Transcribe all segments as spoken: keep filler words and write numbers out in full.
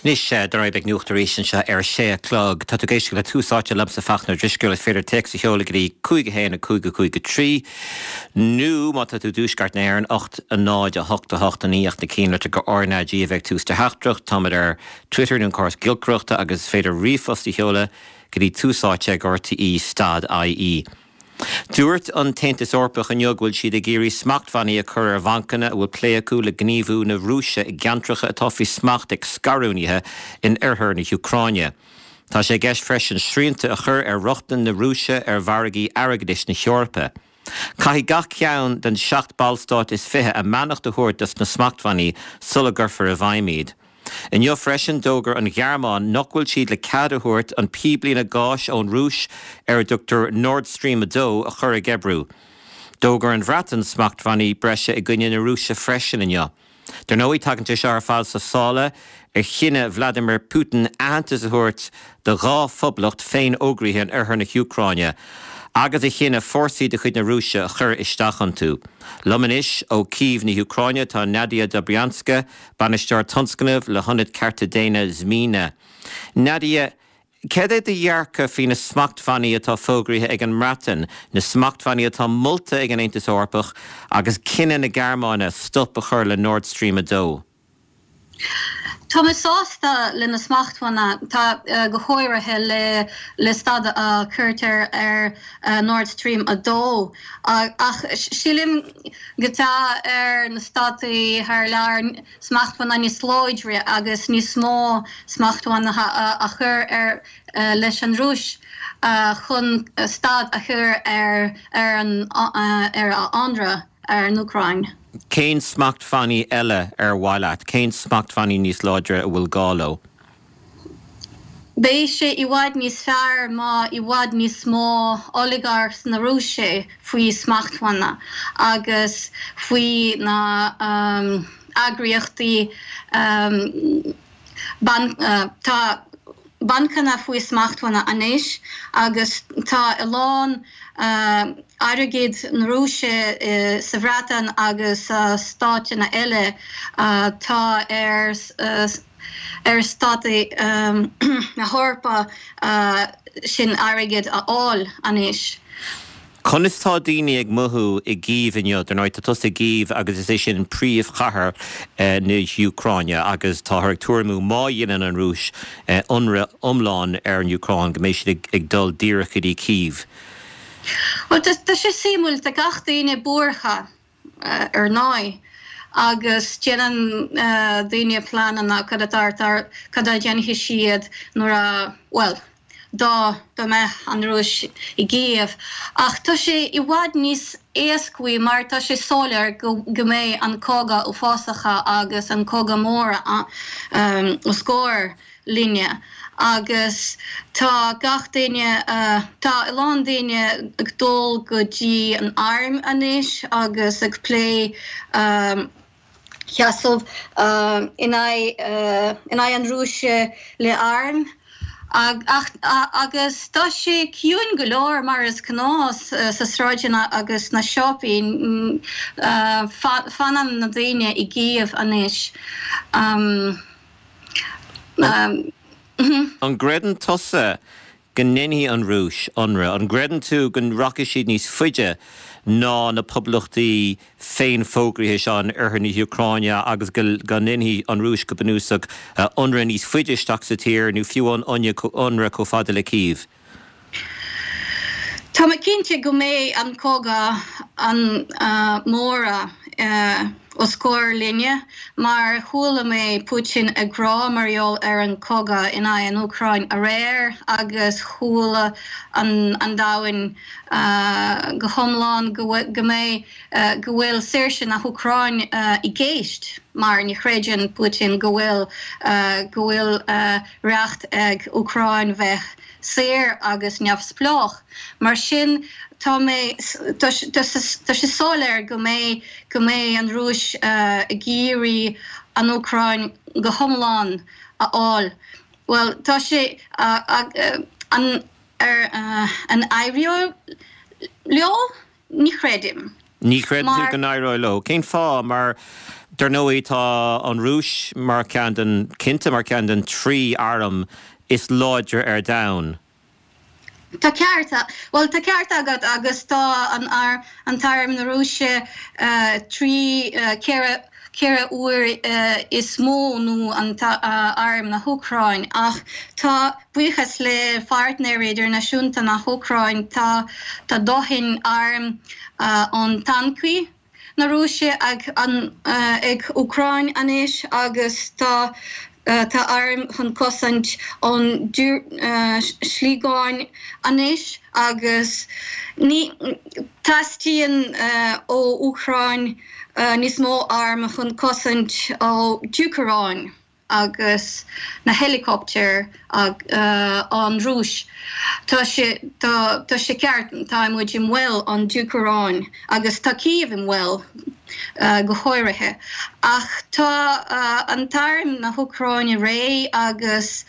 Anois dar ndóigh beidh nuacht arís anseo ar sé a chlog. Tá tú ag éisteacht le Tús Áite liomsa Fachtna Ó Drisceoil is féidir téacs a sheoladh go dtí cúig a haon a cúig a cúig a trí nó má tá tú i dtuaisceart na hÉireann ocht a náid a hocht a hocht a naoi ach na cinnlitir go RnaG a bheidh tús do theachtaireacht. Táimid ar Twitter nó an córas giolcaireachta agus is féidir ríomhphost a sheoladh go dtí tús áite ag RTE stad IE. Dúirt an tAontas Eorpach inniu go bhfuil siad ag iarraidh smachtbhannaí a chur ar bhancanna a bhfuil plé acu le gníomhú na Rúise i gceantracha atá faoi smacht ag scarúnaithe in oirthear na hÚcráine. Tá sé i gceist freisin srianta a chur ar rochtain na Rúise ar mhargaí airgeadais na hEorpa. Caithfidh gach ceann den seacht ballstát is fiche a mbeannacht a thabhairt dos na smachtbhannaí sula gcuirfear i bhfeidhm iad. Inniu freisin d'fhógair an Ghearmáin nach bhfuil siad le cead a thabhairt an píblíne gáis ón Rúis ar a dtugtar Nord Stream a dó a chur ag oibriú. D'fhógair an Bhreatain smachtbhannaí breise i gcoinne na Rúise freisin inniu. Dar ndóigh tagann sé seo ar fad sa sála ar chinneadh Vladimir Putin aitheantas a thabhairt do dhá phoblacht féinfhógraithe in oirthear na hÚcráine agus a chinneadh fórsaí de chuid na Rúise a chur isteach iontu. Liom anois ó Cív na hÚcráine tá Nadia Dobrianska, bainisteoir tionscnaimh le hIonad Cearta Daonna Zmina. Nadia, céard é do dhearcadh faoi na smachtbhannaí atá fógraithe ag an mBreatain, na smachtbhannaí atá molta ag an Aontas Eorpach agus cinneadh na Gearmáine stop a chur le Nord Stream a dó? Tá mé sásta le na smachtbhanna tá go háirithe le le stad a chuirtear ar Nord Stream a dó ach sílim go tá ar na státaí thar lear smachtbhanna níos láidre agus níos mó smachtbhanna a chur ar leis an Rúis chun stad a chur ar ar an ar a ionradh ar an Úcráin. Cén smachtbhannaí eile ar mhaith leat, cén smachtbhannaí níos láidre a bhfuil gá leo? Beidh sé i bhfad níos fearr má i bhfad níos mó oligarchs na Rúise faoi smachtbhanna agus faoi na um, eagraíochtaí um, ban, uh, tá bancanna faoi smachtbhanna anois agus tá a lán uh, airgead na Rúise uh, sa Bhreatain agus uh, stáiteanna eile uh, tá ar uh, ar státaí um, na hEorpa uh, sin airgead a fháil anois. Conas tá daoine ag mothú i gCív inniu, dar ndóigh tá tusa i gCív agus is é sin príomhchathair eh, na hÚcráine agus táthar ag tuairimiú má dhéanann an Rúis eh, ionradh iomlán ar an Úcráin go mbeidh siad ag dul díreach go dtí Cív. Well tá sé suimiúil tá gach daoine buartha uh, ar ndóigh agus déanann uh, daoine pleananna cad a cad a dhéanfaidh siad nuair a well dá dá mbeadh an Rúis i gCív. Ach tá sé i bhfad níos éasca mar tá sé soiléir go go mbeidh an cogadh uafásach agus an cogadh mór um, os comhair linne. agus tá gach duine uh, tá a lán daoine ag dul go dtí an arm anois agus ag plé um, sheasamh uh, in aghaidh uh, in aghaidh an Rúise le arm. Ag, ach, a, agus tá sé ciúin go leor mar is gnách uh, sa sráideanna agus na siopaí uh, fanann na daoine i gCív anois. Um, um, An gcreideann tusa go ndéanfaidh an Rúis ionradh, an gcreideann tú go rachaidh siad níos faide ná na poblachtaí féinfhógraithe seo in oirthear na hÚcráine agus go ndéanfaidh an Rúis go bunúsach ionradh níos faide isteach sa tír nó fiú an ionradh chomh fada le Cív. Tá mé cinnte go mbeidh an cogadh an uh, mór uh, os comhair linne, mar chuala mé Putin ag rá mar gheall ar an cogadh in aghaidh an Úcráin aréir agus chuala an, an domhan uh, go hiomlán go mbeidh uh, go bhfuil saoirse na hÚcráin uh, i gceist mar ní chreideann Putin go bhfuil uh, go bhfuil uh, recht ag Úcráin bheith saor agus neamhspleách. Mar sin tá mé tá sé soiléir go mbeidh go mbeidh an Rúis uh, ag iarraidh an Úcráin go hiomlán a fháil. Well tá sé uh, uh, an ar uh, an éireoidh leo ní chreidim. Ní chreideann tú go n-éireoidh leo. Cén fáth? Mar dar ndóigh tá an Rúis mar ceann den cinnte mar ceann den trí arm is láidre ar domhan. Tá ceart well tá ceart agat agus tá an ar an t-arm na Rúise uh, trí uh, ceithre ceithre uair uh, is mó ná an uh, arm na hÚcráin ach tá buíochas le pháirtnéirí idirnáisiúnta na hÚcráin tá tá dóthain arm uh, an tancaí na Rúise ag an uh, ag Úcráin anois agus tá uh, tá arm chun cosaint an uh, sliogáin anois agus ní teastaíonn uh, ó Úcráin uh, níos mó arm chun cosaint ó diúracáin agus na helicopter ag uh, an Rúis. Tá sé tá tá sé ceart tá muid i mbaol an diúracáin agus tá Kyiv i mbaol uh, go háirithe. Ach tá uh, an t-arm na hÚcráine réidh agus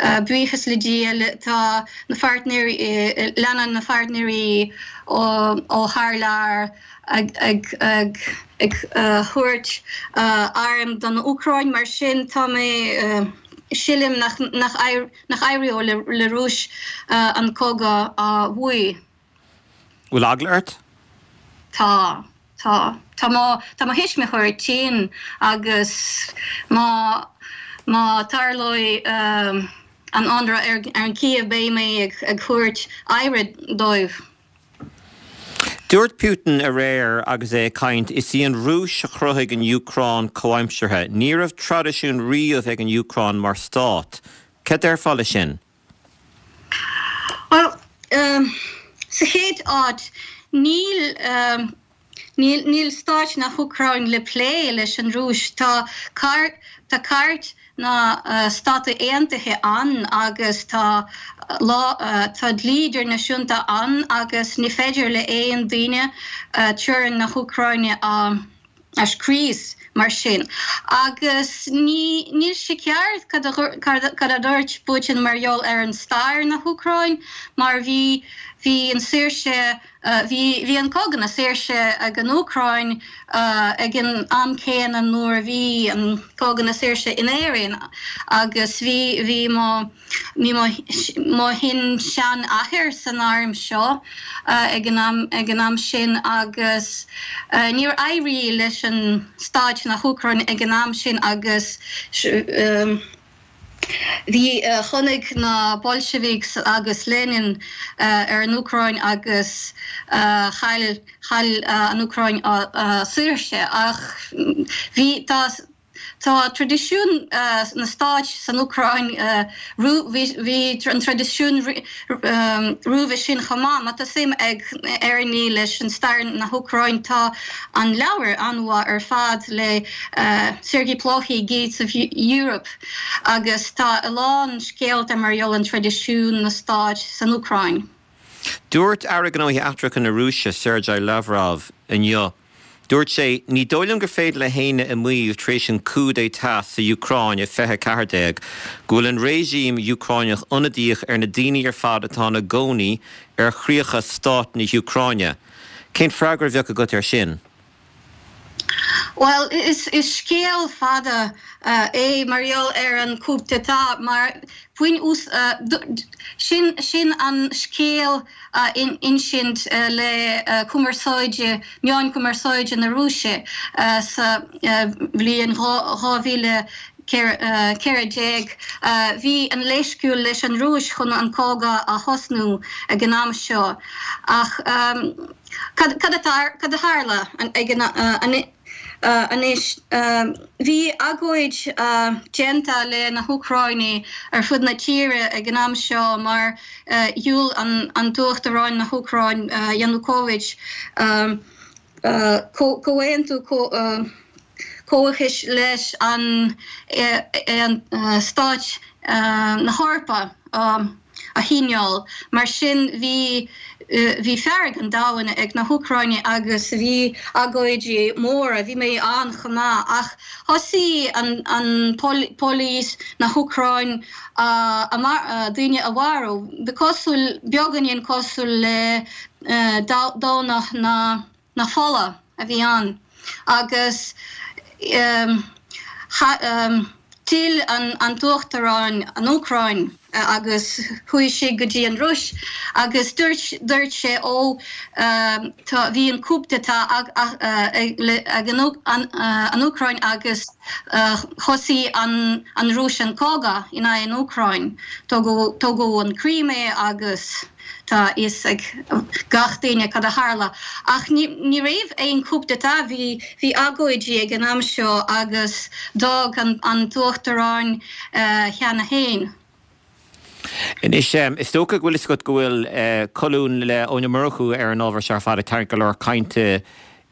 uh, buíochas le Dia tá na pháirtnéirí uh, leanann na pháirtnéirí ó, ó thar lear ag ag ag ag uh, thabhairt uh, arm don Úcráin mar sin tá mé uh, sílim nach nach nach éireoidh le, le Rúis uh, an cogadh a bhuachan. Bhfuil eagla ort? Tá tá tá má tá mo thuismitheoirí tinn agus má má tarlóidh um, an ionradh ar, ar an Kyiv beidh mé ag, ag thabhairt aire dóibh. Dúirt Putin aréir agus é ag caint is í an Rúis a chruthaigh an Úcráin comhaimseartha. Ní raibh traidisiún riamh ag an Úcráin mar stát. Cad déarfá leis sin? Well, um, sa chéad áit níl um, níl níl stáit na hÚcráin le plé leis an Rúis tá car tá cairt na uh, Stáit Aontaithe ann agus tá lá uh, tá dlí idirnáisiúnta ann agus ní féidir le aon duine uh, teorainn na hÚcráine a uh, a scrios mar sin. Agus ní níl sé ceart cad a dúirt Putin mar gheall ar an stair na hÚcráin, mar bhí bhí an saoirse bhí bhí an cogadh na saoirse ag an Úcráin uh, ag an am céanna nuair a bhí an cogadh na saoirse in Éirinn agus bhí bhí mo bhí mo shin-seanathair san arm seo uh, ag an am ag an am sin agus uh, níor éirigh leis an stáit na hÚcráin ag an am sin agus um, Bhí uh, tháinig na Bolsheviks agus Lenin uh, ar an Úcráin agus uh, chaill chaill uh, an Úcráin uh, uh, saoirse ach bhí tá Tá traidisiún uh, na stáit san Úcráin uh, bhí an traidisiún um, roimhe sin chomh maith, má tá suim ag éinne leis an stair na hÚcráin tá an leabhar an-mhaith ar fad le uh, Sergei Plokhy Gates of Europe agus tá a lán scéalta mar gheall an traidisiún na stáit san Úcráin. Dúirt Aire Gnóthaí Eachtracha na Rúise Sergei Lavrov inniu. Dúirt sé ní dóigh liom gur féidir le héinne a mhaíomh tar éis an coup d'état sa Úcráin i fiche ceathair déag, go bhfuil an réimh Úcránach ionadaíoch ar na daoine ar fad atá ina gcónaí ar chríocha stát na hÚcráine. Cén freagra a bheadh agat ar sin? Well is is scéal fada uh, é mar gheall ar an coup d'état mar faoin ús uh, sin sin an scéal uh, in insint uh, le uh, cumarsáide meáin cumarsáide na Rúise uh, sa uh, bhliain dhá mhíle ceathair déag bhí an leithscéal leis an Rúis chun an cogadh a thosnú ag an am seo ach um, cad cad a tharla ag an an anois bhí agóid déanta le na hÚcránaigh ar fud na tíre ag an am seo mar dhiúltaigh an an t-uachtarán na hÚcráin Yanukovych comhaontú comhchis leis an an stáit na hEorpa a shíneáil mar sin bhí bhí fearg an domhain ag na hÚcránaigh agus bhí agóidí móra bhí mé ann chomh maith ach thosaigh an an police na hÚcráin daoine a mharú Bhí cosúil beagáinín cosúil le Domhnach na na fola a bhí ann agus um, ha, um, D'fhill an, an t-uachtarán an Úcráin agus chuaigh sé go dtí an Rúis agus dúirt dúirt sé ó tá bhí an coup d'état ag ag an an Úcráin agus thosaigh an an Rúis an cogadh in aghaidh an Úcráin. Tógadh an Crimea agus tá fhios ag gach duine cad a tharla. Ach ní, ní raibh aon coup d'état bhí bhí agóidí ag an am seo agus d'fhág an, an t-uachtarán uh, cheana féin. Anois is dócha go bhfuil fhios agat go bhfuil uh, colún le Eoin Ó Murchú ar an ábhar seo ar fad ag tarraingt go leor cainte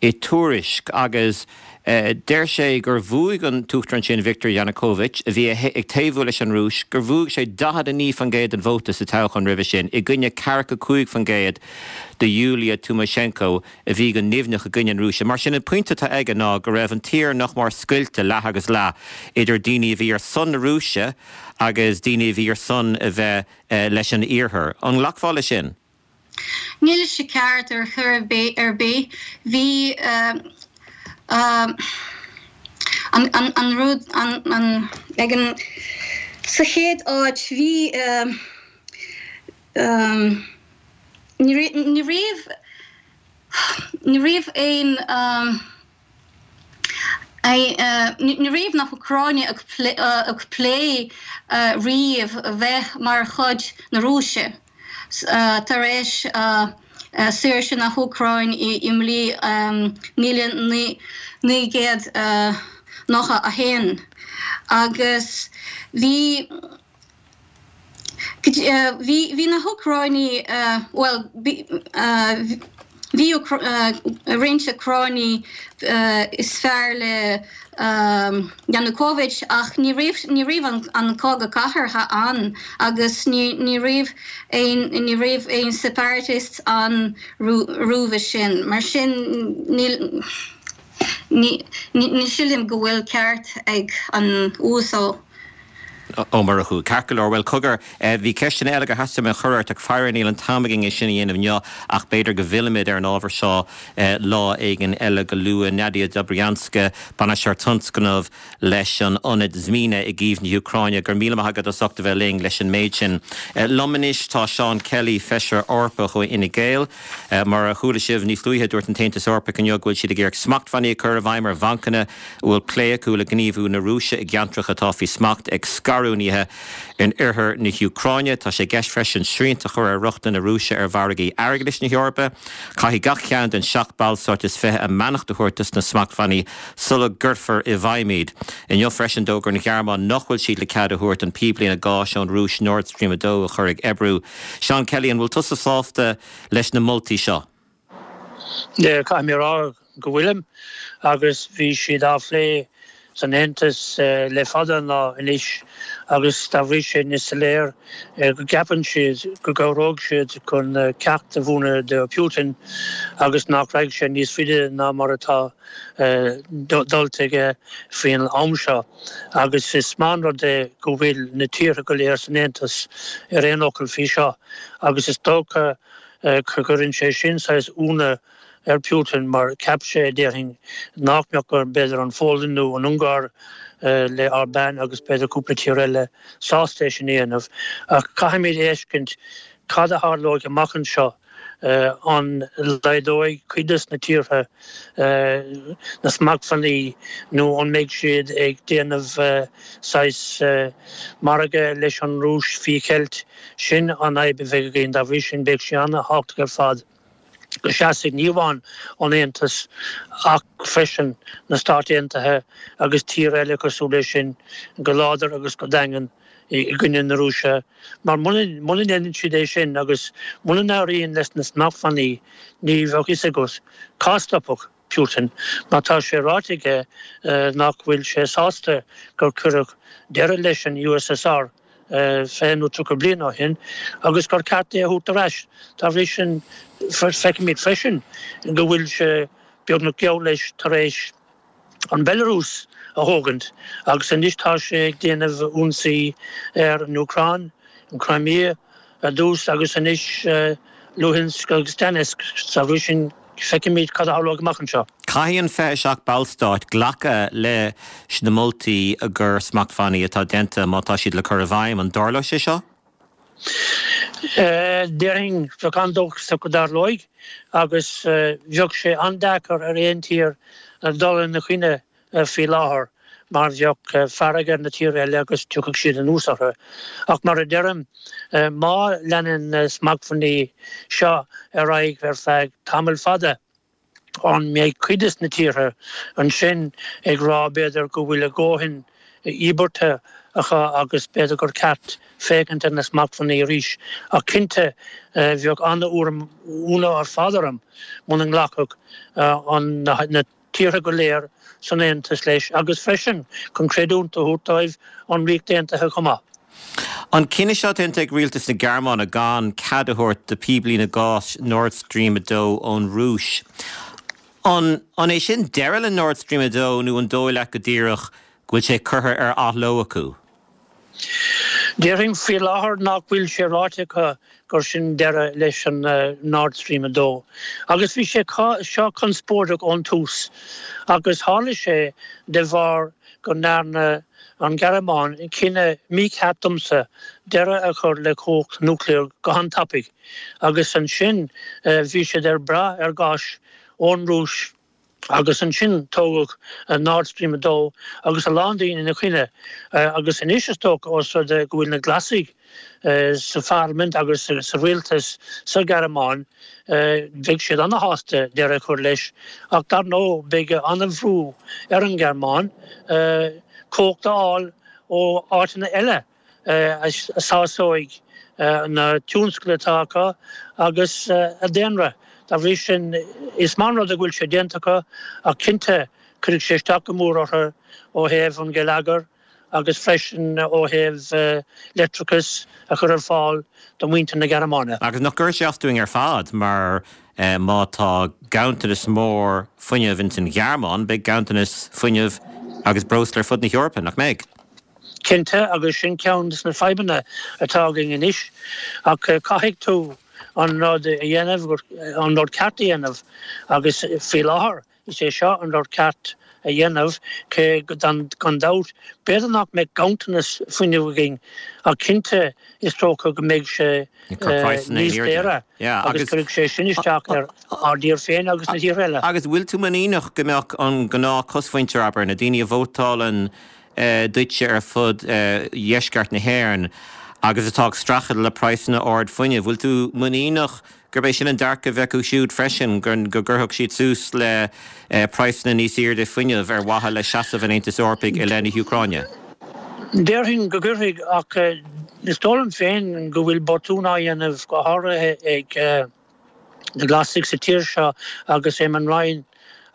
i Tuairisc agus uh, deir sé gur bhuaigh an t-uachtarán sin Viktor Yanukovych a bhí ag taobhú leis an Rúis gur bhuaigh sé daichead a naoi faoin gcéad den vóta sa toghchán roimhe sin i gcoinne ceathracha cúig faoin gcéad de Yulia Tymoshenko a bhí go nimhneach i gcoinne an Rúise. Mar sin an pointe atá aige ná go raibh an tír nach mar scoilte leath agus leath idir daoine a bhí ar son na Rúise agus daoine a bhí ar son a bheith uh, leis an iarthar. An nglacfá leis sin? Níl sé ceart ar chor ar bith ar bith bhí uh, uh, an, an, an rud an, an, ag an sa chéad áit bhí uh, um, ní ní raibh ní raibh aon um, ní raibh na hÚcráine ag ag plé riamh bheith mar chuid na Rúise. tar éis saoirse na hÚcráin i mbliain míle naoi gcéad nócha a haon. Agus bhí bhí na hÚcráine well bhí roinnt Úcráine is fearr le Yanukovych ach ní raibh ní raibh an, an cogadh cathartha ann agus ní ní raibh aon ní raibh aon separatists ann roimhe sin. Mar sin ní ní ní sílim go bhfuil ceart ag an uasal. Ó Murchú ceart go leor well cogar bhí ceisteanna eile gur theastaigh mé a chur ort ach faraor níl an t-am againn é sin a dhéanamh inniu ach b'fhéidir go bhfillfimid ar an ábhar seo lá éigin eile go luath Nadia Dobrianska bainisteoir tionscnamh leis an ionad Zmina i gCív na hÚcráine gur míle maith agat as ucht a bheith linn leis an méid sin. Liom anois tá Seán Kelly feisire Eorpach ó Fhine Gael mar a chuala sibh níos luaithe dúirt an tAontas Eorpach inniu go bhfuil siad ag iarraidh smachtbhannaí a chur i bhfeidhm ar bhancanna a bhfuil plé acu le gníomhú na Rúise i gceantracha atá faoi smacht ag scarúnaithe in oirthear na hÚcráine. Tá sé i gceist freisin srianta a chur ar rochtain na Rúise ar mhargaí airgeadais na hEorpa. Caithfidh gach ceann den seacht ballstát is fiche a mbeannacht a thabhairt dos na smachtbhannaí sula gcuirfear i bhfeidhm iad. Inniu freisin d'fhógair an Ghearmáin nach bhfuil siad le cead a thabhairt an píblíne gáis ón Rúis Nord Stream a dó a chur ag oibriú. Seán Kelly an bhfuil tusa sásta leis na moltaí seo. Caithfidh mé rá go bhfuilim agus bhí siad á phlé san Aontas le fada ná anois agus dá bhrí sin is léir go gceapann siad go gcabhróidh siad chun ceacht a mhúineadh do Putin agus nach rachaidh sé níos faide ná mar atá dulta aige faoin am seo. agus is maith an rud é go bhfuil na tíortha go léir san Aontas ar aon fhocal faoi seo agus is dócha go gcuireann sé sin saghas ionadh ar Putin mar cheap sé déarfainn nach mbeadh gur b'fhéidir an Pholainn nó an Ungáir le Orbán agus b'fhéidir cúpla tír eile sásta é sin a dhéanamh. Ach caithfimid a fheiscint cad a tharlóidh amach anseo an laghdóidh cuid de na tíortha na smachtbhannaí nó an mbeidh siad ag déanamh saghas margadh leis an Rúis faoi cheilt sin an fhadhb a bheidh againn dá bhrí sin beidh sé an-tábhachtach ar fad. go seasfaidh ní amháin an Aontas ach freisin na Stáit Aontaithe agus tír eile cosúil leis sin go láidir agus go daingean i gcoinne na Rúise. Mar muna ndéanann siad é sin agus muna n-éiríonn leis na smachtbhannaí ní bheadh a fhios agat cá stopfadh Putin mar tá sé ráite aige nach bhfuil sé sásta gur cuireadh deireadh leis an USSR fiche nó tríocha bliain ó shin agus gur ceart é a thabhairt ar ais. Dá bhrí sin feicimid freisin go bhfuil sé beagnach geall leis tar éis an Belarus a thógaint agus anois tá sé ag déanamh ionsaí ar an Úcráin, an Crimea ar dtús agus anois Luhansk agus Donetsk. Dá bhrí sin feicfimid cad a tharlóidh amach anseo. Caithfidh an fiche a seacht ballstát glacadh leis na moltaí i gcomhair smachtbhannaí atá déanta má tá siad le cur i bhfeidhm. An dtarlóidh sé seo? Déarfainn bheadh an-dóchasach go dtarlóidh agus bheadh sé an-deacair ar aon tír dul ina choinne faoi láthair mar bheadh fearg ar na tíortha eile agus tiocfadh siad anuas orthu. Ach mar a deirim, má leanann na smachtbhannaí seo ar aghaidh ar feadh tamall fada, an mbeidh cuid des na tíortha ansin ag rá b'fhéidir go bhfuil a ndóthain íobartha acu agus b'fhéidir gur ceart féachaint ar na smachtbhannaí arís. Ach cinnte bheadh an-ionadh ar fad orm muna nglacfadh an na tíortha go léir san Aontas leis agus freisin chun creidiúint a thabhairt dóibh an Ríocht Aontaithe chomh maith. An cinneadh seo déanta ag rialtas na Gearmáine gan cead a thabhairt do phíblíne gáis Nord Stream a dó ón Rúis, an an é sin deireadh le Nord Stream a dó nó an dóigh leat go díreach go bhfuil sé curtha ar athló acu? Déarfainn faoi láthair nach bhfuil sé ráite acu gur sin deireadh leis an Nord Stream a dó. Agus bhí sé seo conspóideach ón tús agus tharla sé de bharr go ndearna an Ghearmáin cinneadh mícheart domsa deireadh a chur le cumhacht núicléach go han-tapaidh agus ansin bhí siad ar brath ar ghás ón Rúis agus ansin tógadh Nord Stream a dó agus a lán daoine ina choinne agus anois is dócha ós rud é go bhfuil na Glasaigh sa pharlaimint agus sa rialtas sa Ghearmáin beidh siad ana-shásta deireadh a chur leis ach dar ndóigh beidh an-bhrú ar an Ghearmáin cumhacht a fháil ó áiteanna eile a sásóidh na tionscail atá acu agus a daonra. Dá bhrí sin, is maith an rud é go bhfuil sé déanta acu ach cinnte cuirfidh sé isteach go mór orthu ó thaobh an gheilleagair agus freisin ó thaobh leictreachas a chur ar fáil do mhuintir na Gearmáine. Agus nach gcuirfidh sé as dúinn ar fad mar má tá ganntanas mór fuinnimh ins an Ghearmáin, beidh ganntanas fuinnimh agus breosla ar fud na hEorpa, nach mbeidh? Cinnte, agus sin ceann de na fadhbanna atá againn anois. Ach caithfidh tú an rud a dhéanamh, an rud ceart a dhéanamh agus faoi láthair is é seo an rud ceart a dhéanamh, cé gan dabht, b'fhéidir nach mbeidh ganntanas fuinnimh againn ach cinnte is dócha go mbeidh sé níos daora agus cuirfidh sé sin isteach ar ár dtír féin agus na tíortha eile. Agus bhfuil tú muiníneach go mbeadh an gnáth cosmhuintir, abair, na daoine a vótálann duitse ar fud dheisceart na hÉireann agus atá ag streachailt le praghsanna ard fuinnimh, bhfuil tú muiníneach gurb é sin an dearcadh a bheadh acu siúd freisin, go gcuirfeadh siad suas le praghsanna níos airde fuinnimh ar mhaithe le seasamh an Aontais Eorpaigh i leith na hÚcráine? Déarfainn go gcuirfidh, ach is dóigh liom féin go bhfuil botún á dhéanamh, go háirithe ag na Glasaigh sa tír seo agus Eamon Ryan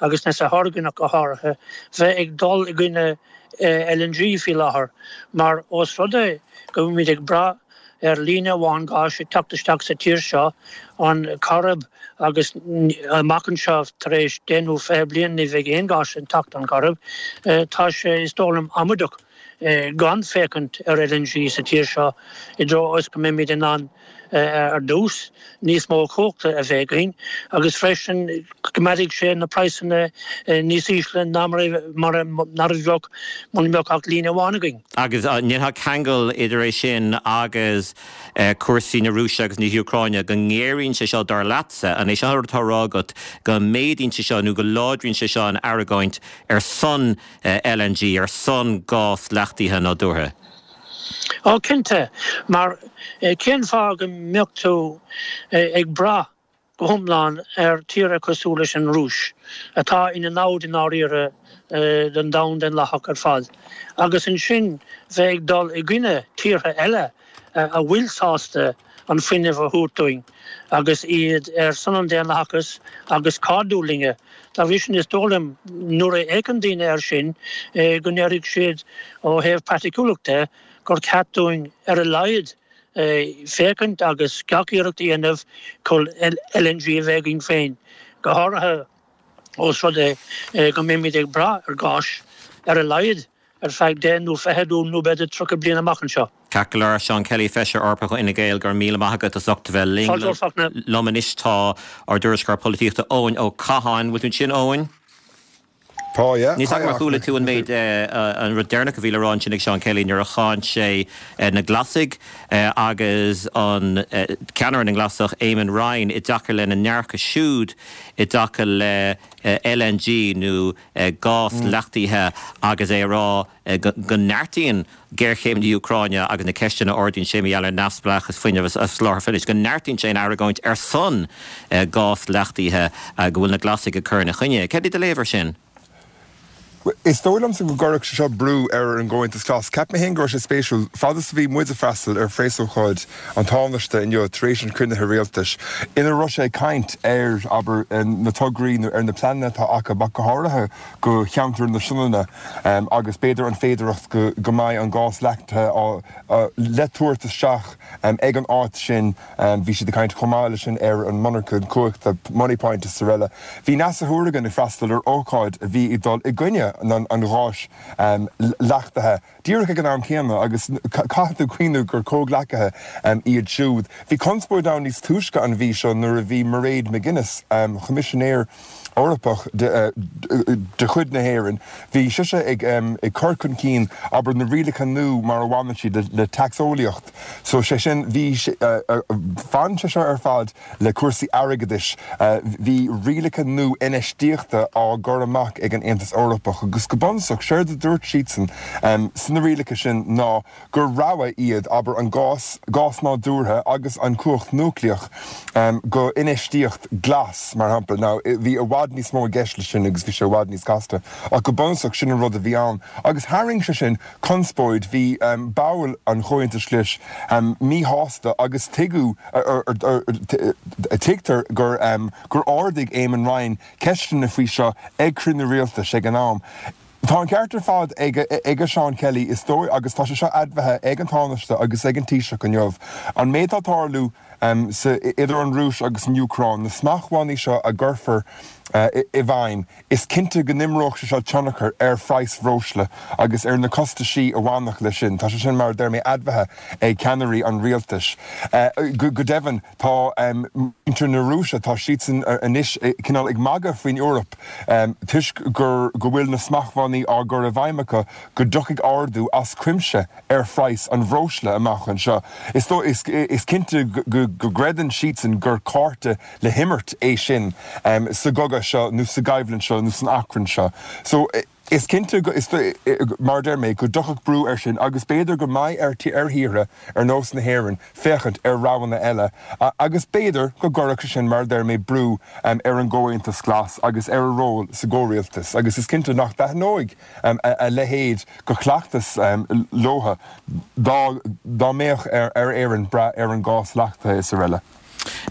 agus Neasa Hourigan ach go háirithe, bheith ag dul i gcoinne L N G faoi láthair mar ós rud é go bhfuilimid ag brath ar líne amháin gáis ag teacht isteach sa tír seo, an Corrib, agus amach anseo tar éis deich nó fiche bliain ní bheidh aon gáis ag teacht ón gCorrib, tá sé, is dóigh liom, amaideach gan féachaint ar L N G sa tír seo i dtreo is go mbeimid in ann ar dtús níos mó cumhachta a bheith againn agus freisin go gcoimeádfaidh sé na praghsanna níos ísle ná mar a bheadh muna mbeadh ach líne amháin againn. Agus an ndéanfá ceangal idir é sin agus cúrsaí na Rúise agus na hÚcráine, go ngéaraíonn sé seo dar leatsa, an é seo an rud atá á rá agat, go méadaíonn sé seo nó go láidríonn sé seo an argóint ar son L N G, ar son gás leachtaithe nádúrtha? Ó cinnte, mar cén fáth go mbeadh tú ag brath go hiomlán ar tíortha cosúil leis an Rúis, atá ina namhaid i ndáiríre don domhan daonlathach ar fad, agus ansin bheith ag dul i gcoinne tíortha eile a bhfuil sásta an fuinneamh a thabhairt dúinn agus iad ar son an daonlathachais agus cairdiúil linne. Dá bhrí sin, is dóigh liom, nuair a fhéachann daoine air sin, go ndéarfaidh siad ó thaobh praiticiúlachta gur ceart dúinn ar a laghad féachaint agus gach iarracht a dhéanamh chun L N G a bheith againn féin, go háirithe ós rud é go mbeimid ag brath ar ghás ar a laghad ar feadh deich nó fiche nó b'fhéidir tríocha bliain amach anseo. Ceart go leor, Seán Kelly, Feisire Eorpach Fhine Gael, go raibh míle maith agat as ucht a bheith linn. Fáilte Fachtna. Liom anois tá ár dtuairisceoir polaitíochta Eoin Ó Catháin. Bhfuil tú ansin, Eoin? Tá, yeah. Níl a fhios agam ar chuala tú an méid an rud deireanach a bhí le rá ansin ag Seán Kelly nuair a cháin sé na Glasaigh agus an ceannaire na nGlasach Eamon Ryan i dtaca lena ndearcadh siúd i dtaca le L N G nó gás leachtaithe agus é a rá go neartaíonn géarchéim na hÚcráine agus na ceisteanna a ardaíonn sé mar gheall ar neamhspleáchas fuinnimh agus soláthar fuinnimh, go neartaíonn sé an argóint ar son gás leachtaithe go bhfuil na Glasaigh ag cur ina choinne. Céard é do léamh air sin? Is dóigh liomsa go gcuirfeadh sé seo brú ar an gComhaontas Glas. Ceap mé féin go raibh sé spéisiúil fad is a bhí muid ag freastal ar phreasócáid an Tánaiste inniu tar éis an chruinnithe rialtais, ina raibh sé ag caint ar abair na tograí nó ar na pleananna atá acu ach go háirithe go cheantar na Sionainne agus b'fhéidir an féidearthacht go go mbeidh an gás leachtaithe le tabhairt isteach ag an áit sin. Bhí siad ag caint chomh maith leis sin ar an monarcha cumhachta Moneypoint is araile. Bhí Neasa Hourigan ag freastal ar ócáid a bhí ag dul i gcoinne an an gháis leachtaithe díreach ag an am céanna agus caithfidh tú cuimhneamh gur comhghleacaithe iad siúd. Bhí conspóid ann níos túisce an mhí seo nuair a bhí Mairead McGuinness, Coimisinéir Eorpach de, de chuid na hÉireann, bhí sise ag ag cur chun cinn abair na rialacha nua mar a bhaineann siad le, le taxólaíocht. So sé sin bhí bhain sé seo ar fad le cúrsaí airgeadais, bhí rialacha nua infheistíochta á gcur amach ag an Aontas Eorpach agus go bunúsach séard a dúirt siadsan sna rialacha sin ná gur rogha iad abair an gás gás nádúrtha agus an cumhacht núicléach go infheistíocht glas mar shampla. Now bhí i bhfad níos mó i gceist leis sin agus bhí sé i bhfad níos casta ach go bunúsach sin an rud a bhí ann. Agus tharraing sé sin conspóid bhí um, baill an Chomhaontais Ghlais um, míshásta agus tuigeadh tuigtear gur um, gur ardaigh Eamon Ryan ceisteanna faoi seo ag cruinniú rialtais ag an am. Tá an ceart ar fad ag ag Seán Kelly is dóigh agus tá sé seo admhaithe ag an Tánaiste agus ag an Taoiseach inniu. An méid atá ag tarlú um, sa, idir an Rúis agus an Úcráin, na smachtbhannaí seo a gcuirfear uh, i bhfeidhm, is cinnte go n-imreodh sé seo tionchar ar phraghas breosla agus ar na costaisí a bhainfeadh leis sin. Tá sé sin mar deir mé admhaithe ag ceannairí an rialtais. Uh, go, go deimhin tá um, muintir na Rúise tá siadsan anois cineál ag magadh faoin Eoraip um, toisc gur go bhfuil na smachtbhannaí á gcur i bhfeidhm acu go dtiocfaidh ardú as cuimse ar phraghas an bhreosla amach anseo. Is dó is, is cinnte go, go gcreideann siadsan gur cárta le himirt é sin um, sa gcogadh seo nó sa gcoimhlint seo nó san achrann seo. So is cinnte is mar deir mé go dtiocfadh brú air sin agus b'fhéidir go mbeidh ar ar thíortha ar nós na hÉireann féachaint ar roghanna eile agus b'fhéidir go gcuirfeadh sin mar deir mé brú um, ar an gComhaontas Glas agus ar a ról sa gcomhrialtas agus is cinnte nach dtaitneodh um, a, a leithéid de chleachtas um, leo dá dá mbeadh ar ar Éirinn brath ar an gás leachtaithe is araile.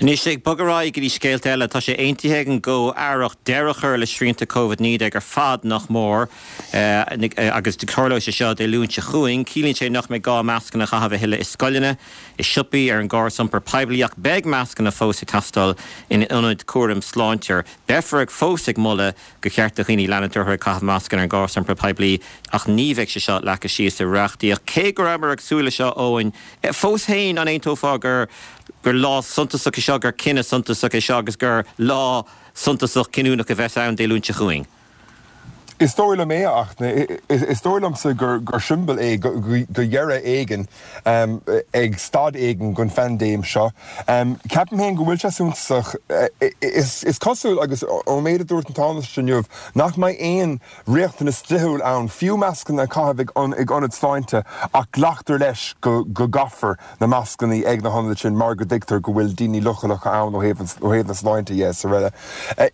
Anois ag bogadh ar aghaidh go dtí scéalta eile tá sé aontaithe ag an gComh-Aireacht deireadh a chur le srianta Covid naoi déag ar fad nach mór agus tarlóidh sé seo Dé Luain seo chugainn, ciallaíonn sé nach mbeidh gá mascanna a chaitheamh a thuilleadh i scoileanna, i siopaí ar an gcóras iompair poiblí ach beidh mascanna fós ag teastáil in ionaid cúraim sláinte. Beifear ag fós ag moladh gur cheart do dhaoine leanúint orthu ag caitheamh mascanna ar an gcóras iompair poiblí ach ní bheidh sé seo leagtha síos i reachtaíocht. Cé go rabhamar ag súil leis seo Eoin, fós féin an aontófá gur gur lá suntasach é seo gur cinneadh suntasach é seo agus gur lá suntasach cinniúnach a bheas ann Dé Luain seo chugainn. Is dóigh liom é ach is dóigh liomsa gur gur siombail é go dheireadh éigin um, ag staid éigin den phaindéim seo. Um, Ceapaim féin go bhfuil sé suntasach is, is cosúil agus ón méid a dúirt an Tánaiste inniu nach mbeidh aon riachtanas dlíthiúil ann fiú mascanna a chaitheamh ag an ag ionad sláinte ach glactar leis go go gcaithfear na mascanna ag na hionaid sin mar go dtuigtear go bhfuil daoine leochaileacha ann ó thaobh ó thaobh na sláinte is araile.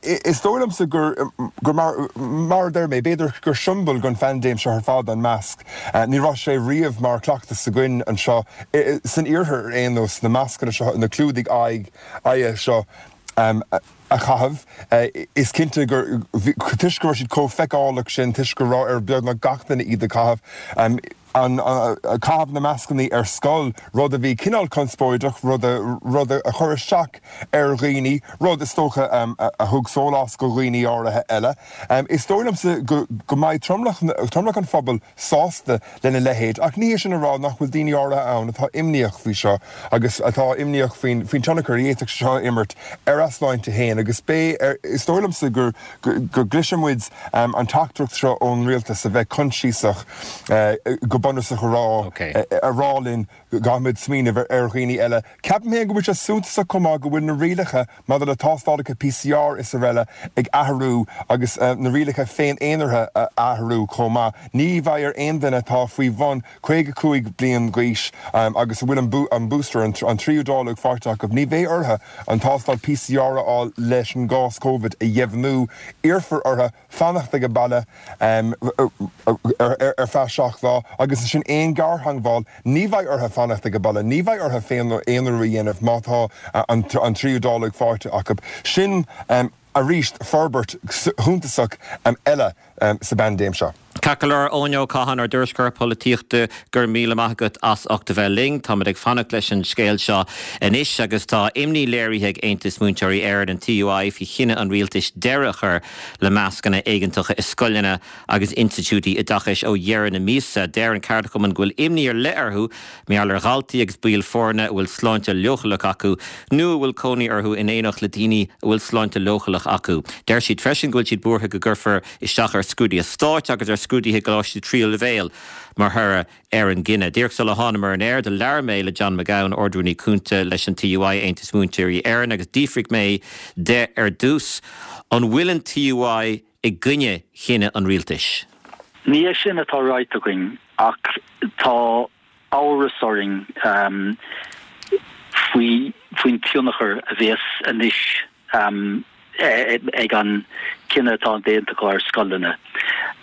Is dóigh liomsa gur gur mar, mar deir mé b'fhéidir gur siombail den phaindéim seo ar fad an masc. Uh, ní raibh sé riamh mar chleachtas againn anseo san iarthar aon nós na mascanna seo na clúdaigh aghaidh aghaidhe seo um, a chaitheamh. Uh, is cinnte gur toisc go raibh siad chomh feiceálach sin toisc go raibh ar beagnach gach duine iad a chaitheamh. Um, an caitheamh na mascannaí ar scoil, rud a bhí cineál conspóideach, rud a rud a chuir isteach ar dhaoine, rud is dócha a thug sólás go dhaoine áirithe eile. Is dóigh liomsa go go mbeidh tromlach tromlach an phobail sásta lena leithéid, ach ní hé sin a rá nach bhfuil daoine áirithe ann atá imníoch faoi seo agus atá imníoch faoin faoin tionchar a d'fhéadfadh seo imirt ar a sláinte féin agus b'é is dóigh liomsa gur go gcloisfidh muid an teachtaireacht seo ón rialtas a bheith coinsiasach go bunúsach a rá a rá linn go gcaithfimid smaoineamh ar dhaoine eile. Ceapaim féin go bhfuil sé suntasach chomh maith go bhfuil na rialacha maidir le tástálacha PCR is araile ag athrú agus na rialacha féin-aonaraithe a athrú chomh maith. Ní bheidh ar aon duine atá faoi bhun caoga cúig bliain d'aois agus a bhfuil an booster, an tríú dáileog faighte acu, ní bheidh orthu an tástáil PCR a fháil leis an gcás Covid a dheimhniú. Iarrfar orthu fanacht ag baile ar feadh seacht lá agus ansin aon ghartheagmháil, ní bheidh orthu fanacht ag baile, ní bheidh orthu féin-aonarú a dhéanamh má tá an tríú dáileog faighte acu. Sin arís forbairt shuntasach eile sa bpaindéim seo. Ceart go leor, Eoin Ó Catháin, ár dtuairisceoir polaitíochta, go raibh míle maith agat as ucht a bheith linn. Táimid ag fanacht leis an scéal seo anois agus tá imní léirithe ag Aontas Múinteoirí Éireann, an TUI, faoi chinneadh an rialtais deireadh a chur le mascanna éigeantacha i scoileanna agus institiúidí oideachais ó dheireadh na míosa. Deir an ceardchumann go bhfuil imní ar leith orthu mar gheall ar dhaltaí agus baill foirne a bhfuil sláinte leochaileach acu nó a bhfuil cónaí orthu in éineacht le daoine a bhfuil sláinte leochaileach acu. Deir siad freisin go bhfuil siad buartha go gcuirfear isteach ar scrúduithe stáit agus ar scrúduithe i gcoláistí tríú leibhéal mar thoradh ar an gcinneadh. Díreach sula thánamar ar an aer, do labhair mé le John McGowan, Ard-Rúnaí Cúnta leis an TUI, Aontas Múinteoirí Éireann, agus d'fhiafraigh mé de ar dtús, an bhfuil an TUI i gcoinne chinneadh an rialtais? Ní é sin atá ráite againn ach tá amhras orainn faoi faoin tionchar a bheas anois ag an cinneadh atá déanta acu ar scoileanna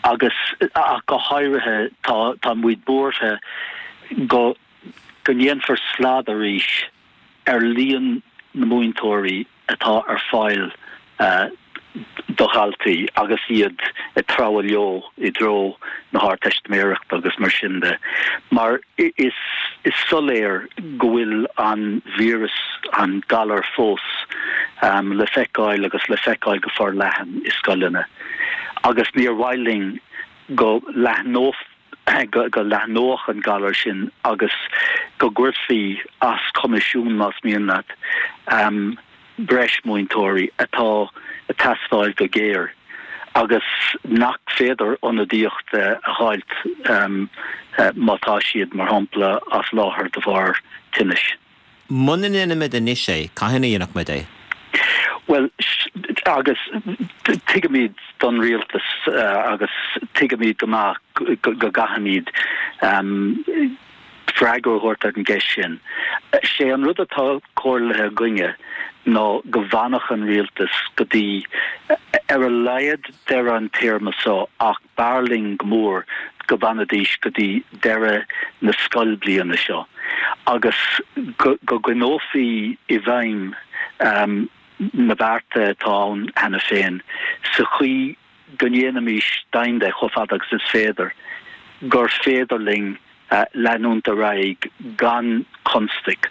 agus ach go háirithe tá tá muid buartha go go ndéanfar slad arís ar líon na múinteoirí atá ar fáil do dhaltaí agus iad ag treabhadh leo i dtreo na hArdteistiméireachta agus mar sin de, mar is is soiléir go bhfuil an víreas, an galar fós le feiceáil agus le feiceáil go forleathan i scoileanna agus níor mhaith linn go leathnódh go go leathnódh an galar sin agus go gcuirfí as coimisiún más mian leat. breis múinteoirí atá ag teastáil go géar agus nach féidir ionadaíocht a fháilt má tá siad, mar shampla, as láthair de bharr tinnis. Muna ndéanaimid anois é, cathain a dhéanfadh muid é? Bhuel, agus tuigimid don rialtas agus tuigimid go maith go gcaithfimid freagra a thabhairt ar an gceist sin. Sé an rud atá comhairlithe againne ná go bhfanfadh an rialtas go dtí ar a laghad deireadh an téarma seo ach b'fhearr linn go mór go bhfanfaidís go dtí deireadh na scoilbhliana seo agus go gcoinneofaí i bhfeidhm na bearta atá ann cheana féin sa chaoi go ndéanfaimis deimhin de chomh fada agus is féidir gur féidir linn leanúint ar aghaidh gan constaic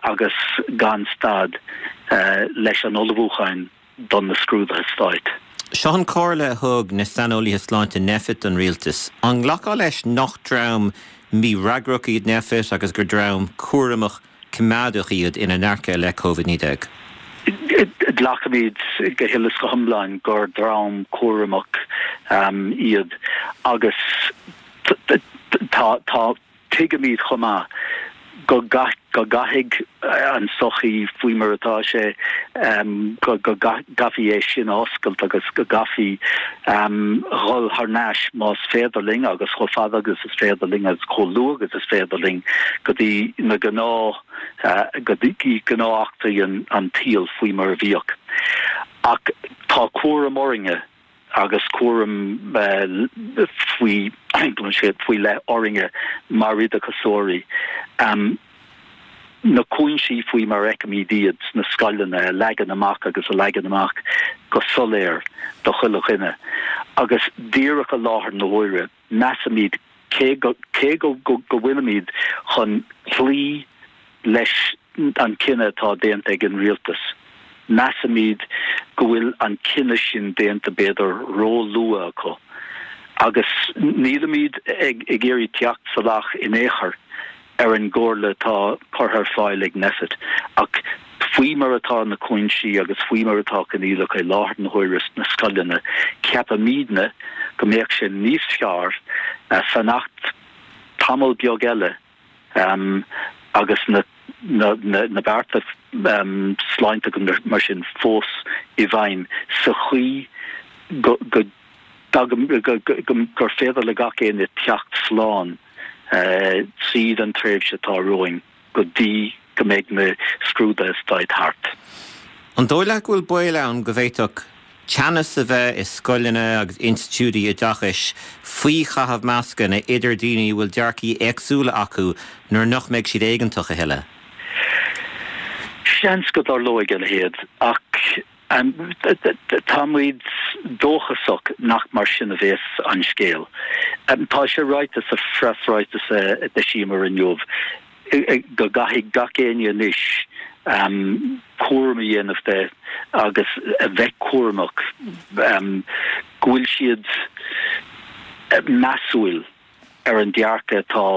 agus gan stad leis an ullmhúchán do na scrúduithe stáit. Seo an chomhairle a thug na saineolaithe sláinte Nphet don rialtas. An nglacfá leis nach dream mífhreagrach iad Nphet agus gur dream cúramach coimeádach iad ina ndearcadh i leith Covid naoi déag? Glacaimid go huile is go hiomlán gur dream cúramach iad agus tá tá tuigimid chomh maith go go gcaithfidh an tsochaí faoi mar atá sé go go gcaithfí é sin a oscailt agus go gcaithfí dhul thar n-ais más féidir linn agus chomh fada agus is féidir linn agus chomh luath agus is féidir linn go dtí na gnáth go dtí gnáth-eachtraí an tsaoil faoi mar a bhíodh. Ach tá cúram orainne agus cúram faoi faoi leith orainne mar oideachasóirí na cúinsí faoi mar a fheicimid iad sna scoileanna a leagan amach agus a leagan amach go soiléir do chuile dhuine. Agus díreach i láthair na huaire, measaimid Cé go cé go go go bhfuilimid chun cloí leis an cinneadh atá déanta ag an rialtas, measaimid go bhfuil an cinneadh sin déanta b'fhéidir ró-luath acu agus nílimid ag ag iarraidh teacht salach in aon chor ar an gcomhairle atá curtha ar fáil ag Nphet ach faoi mar atá na cúinsí agus faoi mar atá coinníollacha i láthair na huaire sna scoileanna, ceapaimidne go mbeadh sé níos fearr fanacht tamall beag eile agus na na bearta sláinte mar sin fós i bhfeidhm sa chaoi go go gur féidir le gach éinne teacht slán tríd an tréimhse atá romhainn go dtí go mbeidh na scrúduithe stáit thart. An dóigh leat go bhfuil baol ann go bhféadfadh teannas a bheith i scoileanna agus institiúidí oideachais faoi chaitheamh mascanna idir daoine a bhfuil dearcaí éagsúla acu nuair nach mbeidh siad éigeantach a thuilleadh? Seans go dtarlóidh a leithéid ach táimid dóchasach nach mar sin a bheas an scéal. Tá sé ráite sa phreasráiteas a d'eisíomar inniu go gcaithfidh gach éinne anois cúram a dhéanamh de agus a bheith cúramach go bhfuil siad measúil ar an dearcadh atá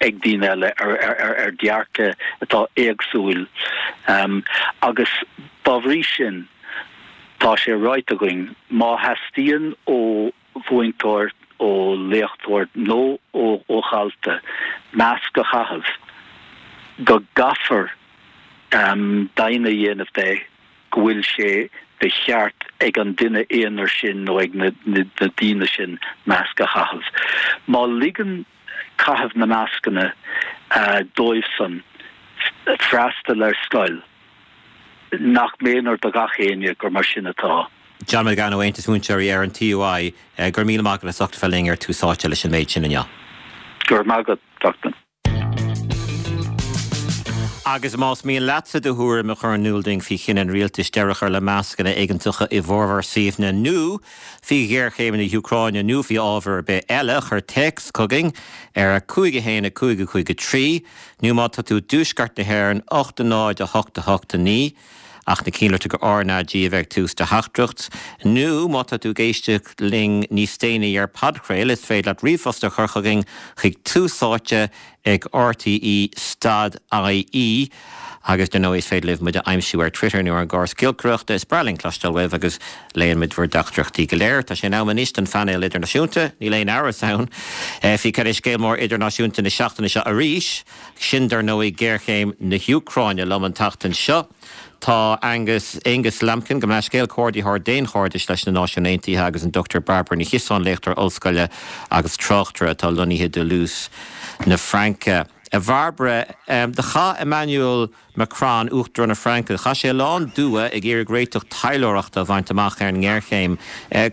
ag daoine eile, ar dhearcadh atá éagsúil agus dá bhrí sin tá sé ráite againn má theastaíonn ó mhúinteoir, ó léachtóir nó ó dhalta masc a chaitheamh go gcaithfear deimhin a dhéanamh de go bhfuil sé de cheart ag an duine aonair sin nó ag na daoine sin masc a chaitheamh. Má ligeann caitheamh na mascanna dóibhsan freastal ar scoil, nach méanar do gach éinne gur mar sin atá. John McGann ó Aontas Múinteoirí Éireann, TUI, go raibh míle maith agat as ucht a bheith linn ar Tús Áite leis an méid sin inniu. Go raibh maith agat, Fachtna. Agus más mian leatsa do thuairim a chur in iúl dúinn faoi chinneadh an rialtais deireadh a chur le mascanna éigeantacha i bhformhór suíomhanna nó faoi ghéarchéim na hÚcráine nó faoi ábhar ar bith eile, cuir téacs chugainn ar a cúig a haon a cúig a cúig a trí nó má tá tú i dtuaisceart na hÉireann, ocht a náid a hocht a hocht a naoi. Ach ná cinnte gur RnaG a bheidh ag tús do theachtaireacht. Nó má tá tú ag éisteacht linn níos déanaí ar podchraoladh, is féidir leat ríomhphost a chur chugainn chuig túsáite ag rte stad ie agus dar ndóigh is féidir libh muid a aimsiú ar Twitter nó ar an gcóras giolcaireachta. Is breá linn cloisteáil uaibh agus léann muid bhur dteachtaireachtaí go léir. Tá sé in am anois don phainéal idirnáisiúnta, níl aon amhras ann faoi cad é scéal mór idirnáisiúnta na seachtaine seo arís, sin dar ndóigh géarchéim na hÚcráine. Liom an tseachtain seo tá Angus, Aonghus Lambkin, gabh mo leithscéal, Comhordaitheoir Daonchairdis leis na Náisiúin Aontaithe agus an Dochtúir Bairbre Ní Chiosáin, léachtóir ollscoile agus tráchtaire atá lonnaithe i dToulouse na Fraince. A Bhairbre, do chaith Emmanuel Macron, Uachtarán na Fraince, chaith sé a lán dua ag iarraidh réiteach taidhleoireachta a bhaint amach ar an ngéarchéim.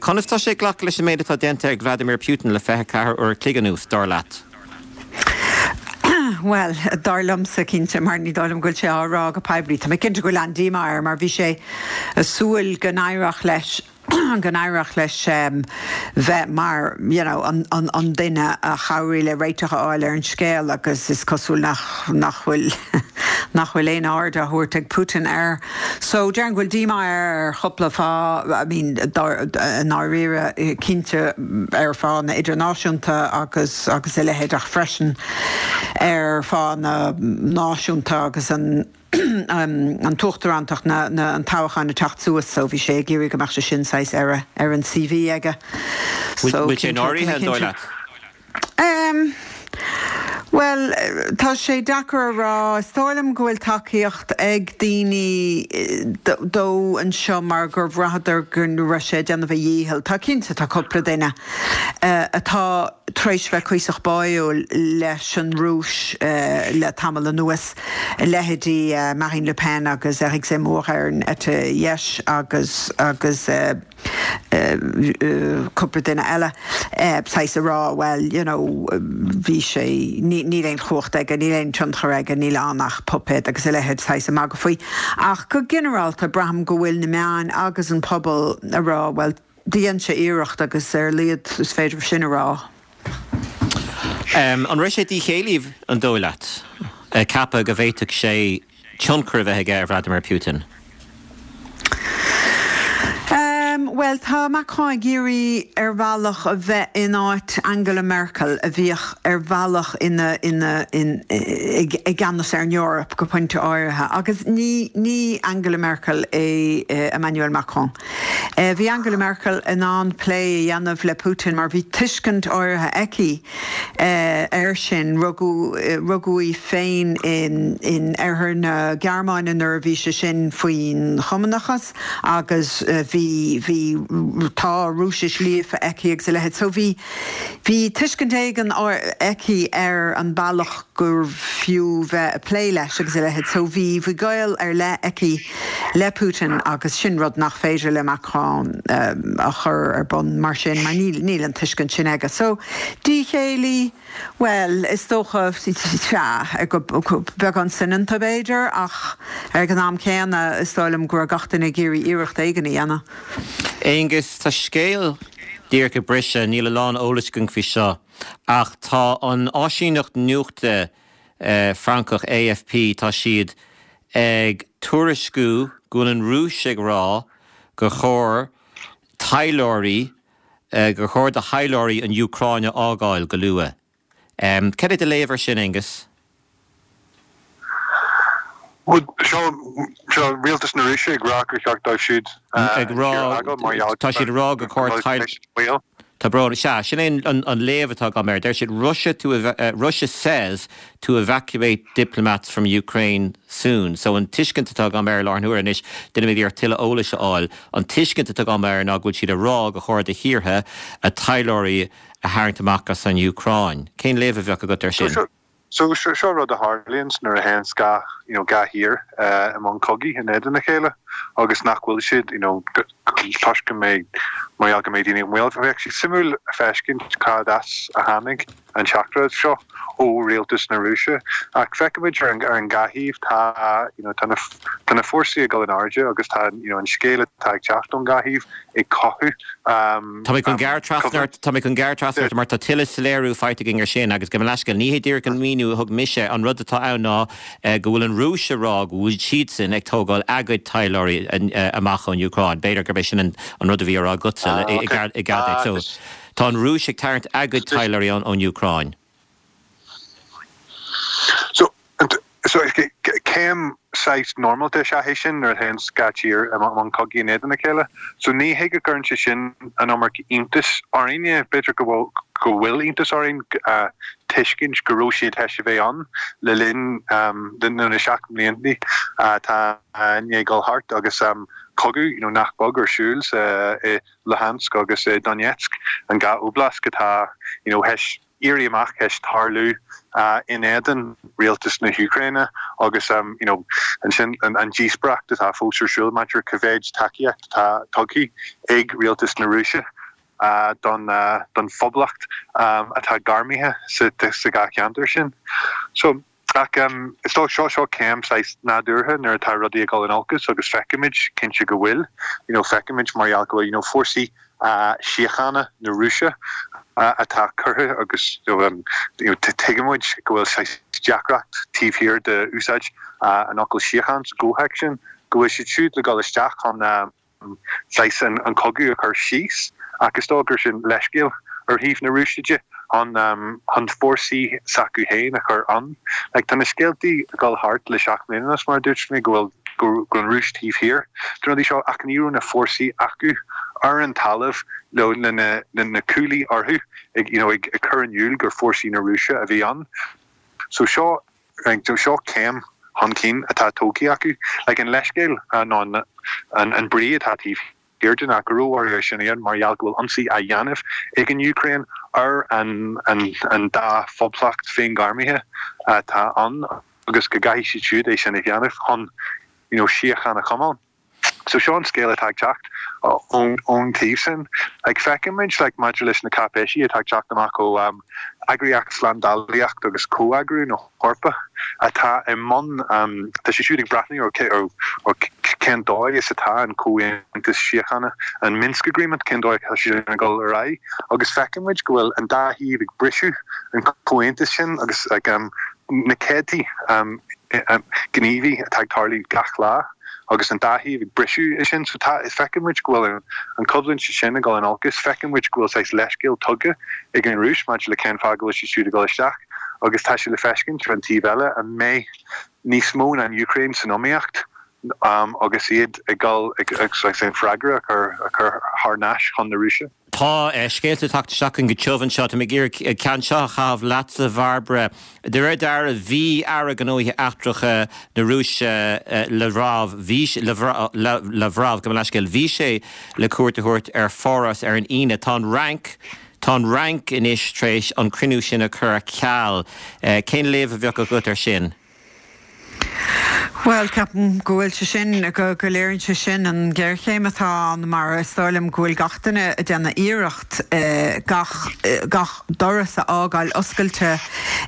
Conas tá sé ag glacadh leis an méid atá déanta ag Vladimir Putin le fiche ceathair uair a chloig anuas, dar leat? Bhuel, dar liomsa, cinnte, mar ní dóigh liom go bhfuil sé á rá go poiblí. Tá mé cinnte go bhfuil an-díomá air mar bhí sé ag súil go n-éireodh leis go n-éireodh leis bheith mar you know an an an duine a chabhraigh le réiteach a fháil ar an scéal agus is cosúil nach nach bhfuil nach bhfuil aon aird á thabhairt ag Putin air. So déarfainn go bhfuil díomá air ar chúpla fáth, I mean i ndáiríre cinnte ar fáthanna idirnáisiúnta agus agus a leithéid ach freisin ar fáthanna náisiúnta agus an an t-uachtarántacht, na, na, an toghchán ag teacht suas so bhí sé ag iarraidh go mbeadh sé sin saghas ar a, ar an CV aige. So Bhfuil sé náirithe, an dóigh leat? Um, Bhuel, tá sé deacair a rá. Is dóigh liom go bhfuil tacaíocht ag daoine dó anseo mar gur bhraitheadar go raibh sé ag déanamh a dhícheall. Tá cinnte, tá cúpla duine atá tar éis bheith cuíosach báúil leis an Rúis le tamall anuas, leithéidí Marine Le Pen agus Eric Zemmour ar an eite dheis agus agus cúpla duine eile, saghas a rá, bhuel, you know, bhí sé, níl aon chumhacht aige, níl aon tionchar aige, níl ann ach puipéad agus a leithéid, saghas ag magadh faoi. Ach go ginearálta, braithim go bhfuil na meáin agus an pobal a rá, bhuel, dhein sé iarracht agus ar a laghad is féidir sin a rá. Um, an raibh sé díchéillí an dóigh leat ceapadh go bhféadfadh sé tionchar a bheith aige ar Vladimir Putin? Um, well tá Macron ag iarraidh ar bhealach a bheith in áit Angela Merkel a bhíodh ar bhealach ina ina in i gceannas ar an Eoraip go pointe áirithe agus ní ní Angela Merkel é eh, Emmanuel Macron. Eh, bhí Angela Merkel in ann plé a dhéanamh le Putin mar bhí tuiscint áirithe aici eh, air sin rugadh eh, rugadh í féin in in oirthear na Gearmáine nuair a bhí sé sin faoin chumannachas agus eh, bhí bhí tá Rúisis líofa aici agus a leithéid. So bhí bhí tuiscint éigin aici ar an bealach gur fiú bheith ag plé leis agus a leithéid. So bhí bhí gaol ar leith aici le Putin agus sin rud nach féidir le Macron um, a chur ar bun mar sin mar níl níl an tuiscint sin aige. So díchéillí well is dócha sea go beagán soineanta b'fhéidir ach ar an am céanna is dóigh liom go raibh gach duine ag iarraidh iarracht éigin a dhéanamh. Aonghus tá scéal díreach ag briseadh níl a lán eolais againn faoi seo ach tá an áisíneacht nuachta eh, Francach AFP tá siad ag tuairisciú go bhfuil an Rúis ag rá gur chóir taidhleoirí eh, gur chóir do thaidhleoirí an Úcráin a fhágáil go luath. Um, Cad é do léamh air sin Aonghus? Seo seo rialtas na Rúise ag rá gur cheart dóibh siúd ag rá tá siad rá gur chóir Tá brón sea sin é an, an léamh atá agam air. Deir siad Russia to uh, Russia says to evacuate diplomats from Ukraine soon. So an tuiscint atá agam air lár nuair anois duine mé ar tuilleadh eolais a fháil. An tuiscint atá agam air ná go bhfuil siad ag rá gur chóir do thíortha a dtaidhleoirí a tharraingt amach as an Úcráin. Cén léamh a bheadh agat air sin? So seo seo rud a tharlaíonn nuair a théann dhá you know, dhá thír uh, i mbun cogaidh in éadan a chéile agus nach bhfuil siad you know, toisc go mbeidh mar go mbeidh daoine bhfuil bheadh sé suimiúil feiscint cad as a tháinig an teachtaireacht seo ó rialtas na Rúise ach feicimid ar an ar an dhá thaobh tá you know, tá na tá na fórsaí ag dul in airde agus tá you know, an scéal atá ag teacht ón dhá thaobh ag cothú um, Tá mé chun gearr trasna tá mé chun gearradh trasna mar tá tuilleadh soiléiriú faighte againn ar sin agus go leisce ní hé díreach an míniú a thug mise an rud atá ann ná eh, go bhfuil an Rúis ag rá go bhfuil siadsan ag tógáil a gcuid taidhleoirí eh, amach ón Úcráin. B'fhéidir gurb é sin an an rud a bhí á rá agatsa Ah, i okay. i gad Ah, so tá an Rúis ag tarraingt a gcuid taidhleoirí ón ón Úcráin. So so céim saghas normalta is ea é sin nuair a théann dhá thír i mbun cogaidh in éadan a chéile. So ní hé go gcuireann sé sin an iomarca iontais orainne b'fhéidir go bhfuil go bhfuil iontas orainn uh, tuiscint go raibh siad théis a bheith ann le linn um, na seacht mbliana atá uh, ní dul thart agus um, cogadh you know, nach beag ar siúl sa i Luhansk agus i Donetsk an dhá oblast atá you know, théis éirí amach théis tarlú uh, in éadan rialtas na hÚcráine agus um, you know, ansin an, an díospóireacht atá fós ar siúl maidir cá mhéad tacaíocht atá tugtha ag rialtas na Rúise uh, don uh, don phoblacht um, atá gairmithe sa sa dhá cheantar sin. So ach um, is dócha seo seo céim saghas nádúrtha nuair atá rudaí ag dul in olcas agus feicimid cinnte go bhfuil you know, feicimid mar go bhfuil you know, fórsaí uh, síochána na Rúise uh, atá curtha agus you know, um, you know, tuigimid go bhfuil sé deacracht taobh thiar de úsáid uh, an fhocal síocháin sa gcomhthéacs sin go bhfuil siad siúd le dul isteach chun um, saghas an, an cogadh a chur síos agus dá gur sin leithscéal ar thaobh na Rúise de an um, an fórsaí s'acu féin a chur an. Like, tá na scéaltaí ag dul thart le seacht mbliana mar dúirt mé go bhfuil go go an Rúis taobh thiar. Dá seo ach ní raibh na fórsaí acu ar an talamh le na na na cuaillí orthu ag you know, ag, ag cur in iúl gur fórsaí na Rúise a bhí ann. So seo seo céim chun cinn atá tógtha acu, like an leithscéal an an an, an brí atá taobh thiar de ná go raibh sin ann mar gheall go bhfuil ionsaí á dhéanamh ag an Úcráin ar an, an, an dá phoblacht féinghairmithe atá ann agus go gcaithfidh siad siúd é sin a dhéanamh chun you know, síocháin a choimeád. So seo an scéal atá ag teacht ón ón taobh sin. Like feicimid like maidir leis na cáipéisí atá ag teacht amach ó um, eagraíocht slándálaíocht agus comhoibriú na hEorpa atá i mbun um, tá sé siúd ag breathnú ó ó cén dóigh is atá an comhaontas síochána, an Minsk Agreement, cén dóigh atá sé ag dul ar aghaidh agus feiceann muid go bhfuil an dá thaobh ag briseadh an comhaontas sin agus like, um, na céadtaí um, um, gníomhaí atá ag tarlú gach lá agus an dá thaobh ag briseadh é sin so tá is feiceann muid go bhfuil an choimhlint sin ag dul in olcas feiceann muid go bhfuil saghas leithscéal tugtha ag an Rúis maidir le cén fáth go bhfuil siad siúd ag dul isteach agus tá sé le feiscint ar an taobh eile an mbeidh níos mó ná an Úcráin san iomaíocht um, agus iad ag dul ag ag an freagra a chur a chur thar n-ais chun na Rúise. Tá eh, scéalta tagtha isteach go tiubh anseo tá mé ag iarraidh ceann seo a chaitheamh leatsa Bhairbre. De réir dealraimh bhí Aire Gnóthaí Eachtracha na Rúise eh, Lavrov bhí Lavrov go leiscéil bhí sé le cuairt a thabhairt ar Pháras ar an Aoine tá an Fhrainc Tá an Fhrainc anois tar éis an cruinniú sin a chur ar ceal. Eh, cén léamh a bheadh agat ar sin? Well ceapaim go bhfuil sé sin go go léiríonn sé sin an géarchéim atá ann mar is dóigh liom go bhfuil gach duine ag déanamh iarracht eh, gach eh, gach doras a fhágáil oscailte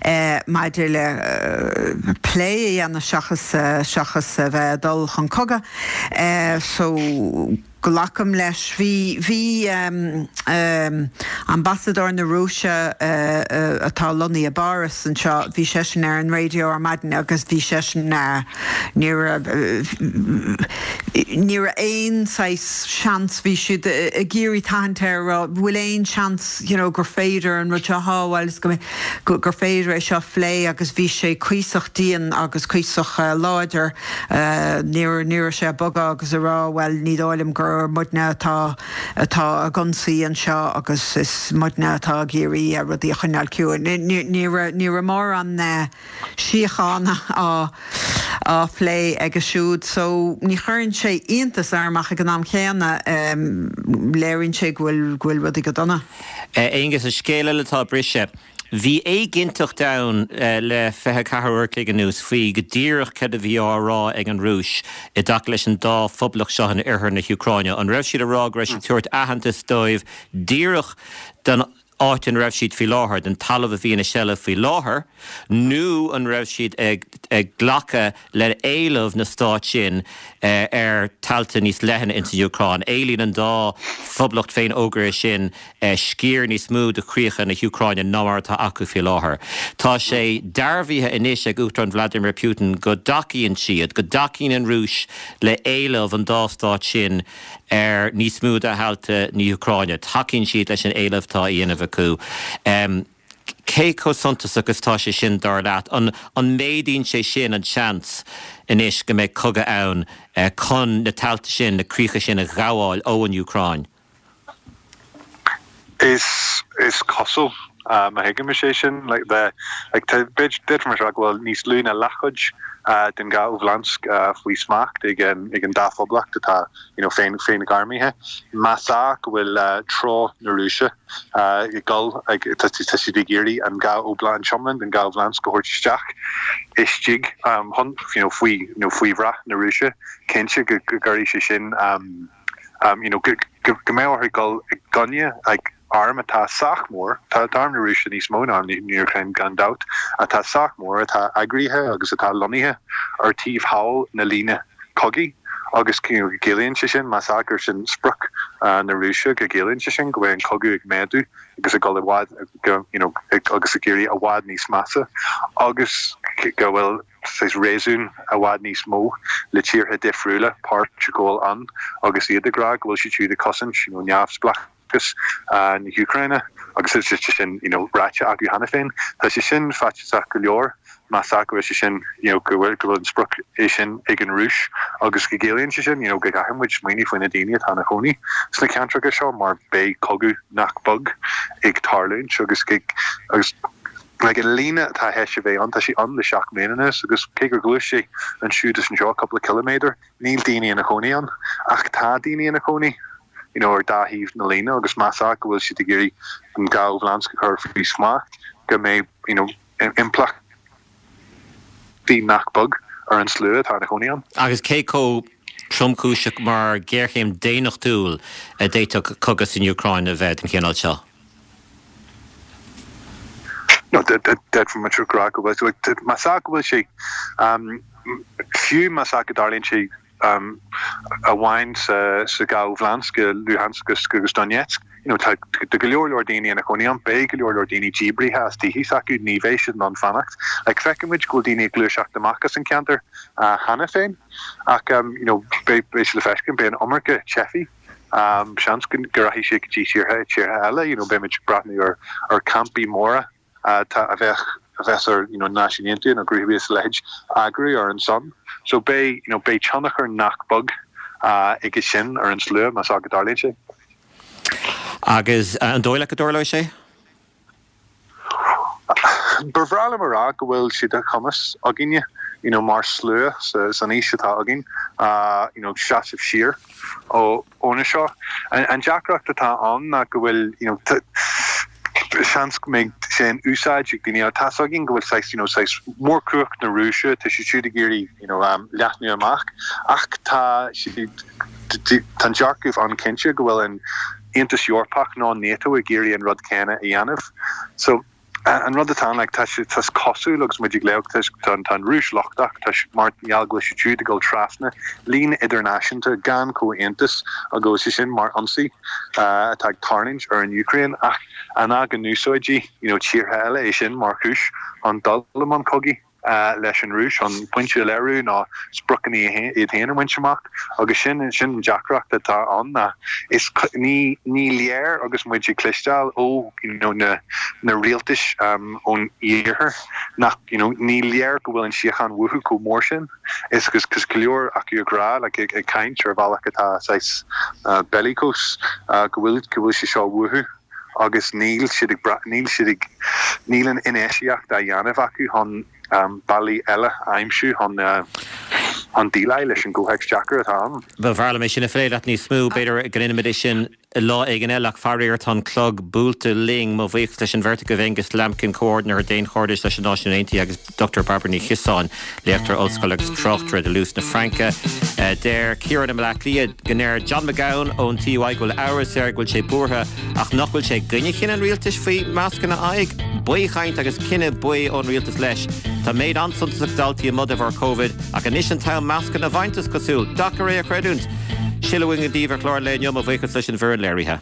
eh, maidir le eh, plé a dhéanamh seachas eh, seachas a bheith ag dul chun cogaidh. Eh, so glacaim leis bhí bhí um, um, ambasadóir na Rúise uh, uh, atá lonnaithe i bPáras anseo bhí seisean ar an raidió ar maidin agus bhí seisean uh, ní ní aon seans bhí siad ag iarraidh tathaint air bhfuil aon seans you know, gur féidir an rud seo shábháil go gur féidir é seo phlé agus bhí sé cuíosach dian agus cuíosach uh, láidir uh, ní ní sé bogadh agus a rá well ní dóigh liom gur muidne atá atá ag ionsaí anseo agus is muidne atá ag iarraidh rudaí a choinneáil ciúin. Ní mór an síocháin á á phlé aige siúd, so ní chuireann sé iontas orm ach ag an am chéanna léiríonn sé go bhfuil go bhfuil rudaí go dona. Aonghus an scéal eile atá brise. Bhí éiginnteacht ann le fiche ceathair uair an chloig anuas faoi go díreach cad a bhí á rá ag an Rúis i dtaca leis an dá phoblacht seo in oirthear na hÚcráine. An raibh siad ag rá go raibh siad tabhairt aitheantas dóibh díreach den áit an raibh siad faoi láthair, den talamh a bhí ina seilbh faoi láthair, nó an raibh siad ag, ag glacadh le éileamh na stát sin eh, ar thailte níos leithne in san Úcráin. Éilíonn an dá phoblacht féinfhógartha sin eh, sciar níos mó de chríocha na hÚcráine ná mar atá acu faoi láthair. Tá sé dearbhaithe anois ag Uachtarán Vladimir Putin go dtacaíonn siad, go dtacaíonn an Rúis le éileamh an dá stát sin ar níos mó de thailte na hÚcráine. Tacaíonn siad leis an éileamh atá á dhéanamh acu. Um, cé chomh suntasach is tá sé sin dar leat an an méadaíonn sé sin an seans anois go mbeidh cogadh ann eh, chun na tailte sin na críocha sin a ghabháil ón Úcráin. Is is cosúil uh, má thuigim sé sin like the like b'fhéidir mar go bhfuil níos lú ná leathchuid uh, den dhá oblast uh, faoi smacht ag an ag an dá phoblacht atá you know féin féinghairmithe más ea go bhfuil uh, treo na Rúise uh, ag dul ag tá siad ag iarraidh an dhá oblast an iomlán den dhá oblast go thabhairt isteach istigh um, hun, you know, faoi you know, faoi bhrat na Rúise cinnte go go gcuirfidh sé sin um, um, you know, go go go mbeidh orthu dul i gcoinne like, arm atá sách mór tá arm na Rúise níos mó ná arm na hÚcráine gan dabht atá sách mór atá eagraithe agus atá lonnaithe ar taobh thall na líne cogaidh agus go gciallaíonn sé sin más ea gur sin sprioc uh, na Rúise go gciallaíonn sé sin go bhfuil an cogadh ag méadú agus ag dul i bhfad go you know, agus ag éirí i bhfad níos measa agus go bhfuil saghas réasún i bhfad níos mó le tíortha difriúla páirt a ghabháil ann agus iad ag rá go bhfuil siad siúd ag cosaint you know, neamhspleáchas uh, na hÚcráine agus is sé sin you know, ráite acu cheana féin. Tá sé sin faitíosach go leor más ea go bhfuil sé sin you know, go bhfuil go bhfuil an sprioc é sin ag an Rúis agus go gciallaíonn sé sin you know, go gcaithfidh muid smaoineamh faoi na daoine atá ina gcónaí sna ceantracha seo mar beidh cogadh nach beag ag tarlúint agus agus like an líne atá théis a bheith ann tá sí ann le seacht mbliana anois agus cé gur ghluais sé ansiúd is anseo cúpla kilometer níl daoine ina gcónaí ann ach tá daoine ina gcónaí you know, ar dá thaobh na líne agus más ea go bhfuil siad ag iarraidh an dhá oblast a chur faoi smacht go mbeidh you know, impleachtaí nach beag ar an slua atá ina gcónaí ann. Agus cé chomh tromchúiseach mar ghéarchéim daonnachtúil a d'fhéadfadh cogadh san Úcráin a bheith den chineál seo. No, d'fhéadfadh muid rá go bhfuil más ea go bhfuil sé um, fiú más ea go dtarlaíonn sé amháin sa sa dhá bhlasc Luhansk agus Donetsk. You know, tá go leor leor daoine ina gcónaí ann, beidh go leor leor daoine díbrithe as tithe s'acu, ní bheidh siad in ann fanacht. Like, feicimid go bhfuil daoine ag gluaiseacht amach as an ceantar uh, cheana féin, ach um, you know, beidh beidh sé le feiscint, beidh an iomarca teifigh. Um, seans go rachaidh siad go dtí tíortha tíortha eile, you know, beimid ag breathnú ar ar campaí móra uh, tá a bheith a bheas ar you know, Náisiúin Aontaithe nó grúpaí is leithéid eagrú ar an son. So beidh you know, beidh tionchar nach beag uh, aige sin ar an slua más go dtarlaíonn sé. Agus uh, an dóigh leat go dtarlóidh sé? Ba bhreá liom a rá go bhfuil sé de chumas againne you know, mar slua sa, san aois atá againn uh, you know, seasamh siar ó óna seo. An, an deacracht atá ann ná go bhfuil you know, seans go mbeidh sé in úsáid ag daoine tá againn go bhfuil saghas you know, saghas mórchumhacht na Rúise tá siad siúd ag iarraidh you know, um, leathnú amach ach tá tá dearcadh an-chinnte go bhfuil an Aontas Eorpach ná NATO ag iarraidh an rud céanna a dhéanamh. So an rud atá like, tá tá cosúil agus muid ag léamh tá an Rúis lochtach tá mar gheall go bhfuil siad ag dul trasna líne idirnáisiúnta gan comhaontas agus sé sin mar ionsaí uh, atá ag tarlúint ar an Úcráin ach an ná go n-úsáidfidh you know, tíortha eile é sin mar chúis an dul i mbun cogaidh uh, leis an Rúis an pointe a léiriú ná spriocanna iad féin a bhaint amach agus sin sin an deacracht atá ann ná is ní ní léir agus muid ag cloisteáil ó you know, na na rialtais um, ón iarthar nach you know, ní léir go bhfuil an síocháin uathu chomh mór sin is agus cos go leor acu ag rá le ag, ag caint ar bhealach atá saghas uh, bellicose uh, go bhfuil go bhfuil sé seo uathu agus níl siad ag níl siad ag níl an infheistíocht á dhéanamh acu chun um, bealaí eile a aimsiú chun uh, chun déileáil leis an gcomhthéacs deacair atá ann. Ba bhreá liom é sin a phlé leat níos mó b'fhéidir go ndéanfaimid é sin lá éigin eile ach faraor tá an clog buailte linn mo bhuíochas leis an bheirt agaibh Angus Lambkin comhordaitheoir daonchairdis leis an Náisiún Aontaithe agus Dr Barbara Ní Chiosáin léachtóir ollscoile agus tráchtaire de Luz na Fraince. Uh, deir Ciarán i mBaile Átha Cliath go ndeir John McGowan ón TUI go bhfuil amhras air go bhfuil sé buartha ach nach bhfuil sé i gcoinne chinneadh an rialtais faoi mascanna aghaidh, baothchaint agus cinneadh baoth ón rialtas leis. Tá méid an-suntasach daltaí amuigh de bharr COVID ach anois an t-am mascanna a bhaint is cosúil, deacair é a chreidiúint. Sin uainn daoibh ar chlár lae inniu mo bhuíochas leis an bhfoireann léirithe.